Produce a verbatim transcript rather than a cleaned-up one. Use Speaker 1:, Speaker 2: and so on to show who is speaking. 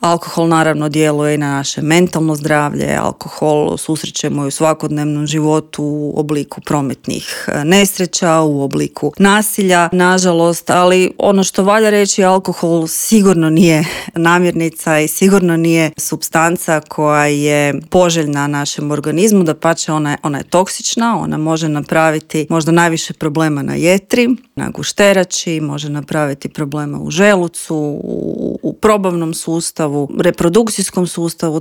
Speaker 1: Alkohol naravno djeluje i na naše mentalno zdravlje, alkohol susrećemo i u svakodnevnom životu u obliku prometnih nesreća, u obliku nasilja, nažalost, ali ono što valja reći, alkohol sigurno nije namirnica i sigurno nije supstanca koja je poželjna našem organizmu, dapače ona je, ona je toksična, ona može napraviti možda najviše problema na jetri, na gušterači, može napraviti problema u želucu, u, u probavnom sustavu, reprodukcijskom sustavu,